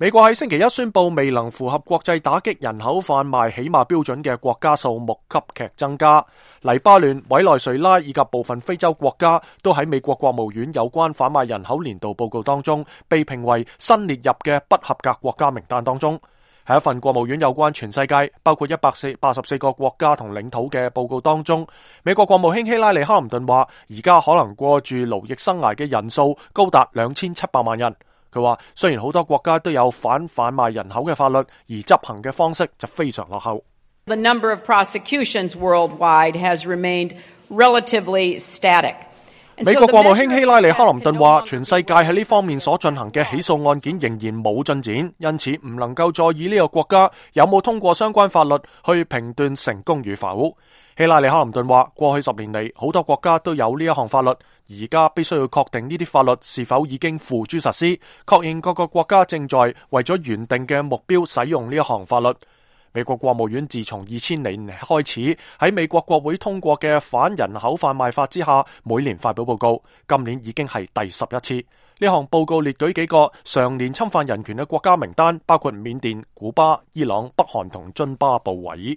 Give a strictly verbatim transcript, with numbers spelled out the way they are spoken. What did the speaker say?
美國喺星期一宣布，未能符合國際打擊人口販賣起碼標準嘅國家數目急劇增加。黎巴嫩、委內瑞拉以及部分非洲國家都喺美國國務院有關販賣人口年度報告當中被評為新列入嘅不合格國家名單當中。喺一份國務院有關全世界包括一百八十四個國家同領土嘅報告當中，美國國務卿希拉里·克林頓話，而家可能過住勞役生涯嘅人數高達兩千七百萬人。佢話雖然好多國家都有反販賣人口嘅法律，而執行嘅方式就非常落後。The number of prosecutions worldwide has remained relatively static. 美國國務卿希拉里·克林頓話，全世界喺呢方面所進行嘅起訴案件仍然冇進展，因此唔能夠再以呢個國家有冇通過相關法律去評斷成功與否。希拉里·克林頓話，過去十年嚟，好多國家都有呢一項法律，而家必須要確定呢啲法律是否已經付諸實施，確認各個國家正在為咗原定嘅目標使用呢一項法律。美國國務院自從二千年開始喺美國國會通過嘅反人口販賣法之下，每年發表報告，今年已經係第十一次。呢項報告列舉幾個常年侵犯人權嘅國家名單，包括緬甸、古巴、伊朗、北韓同津巴布韋。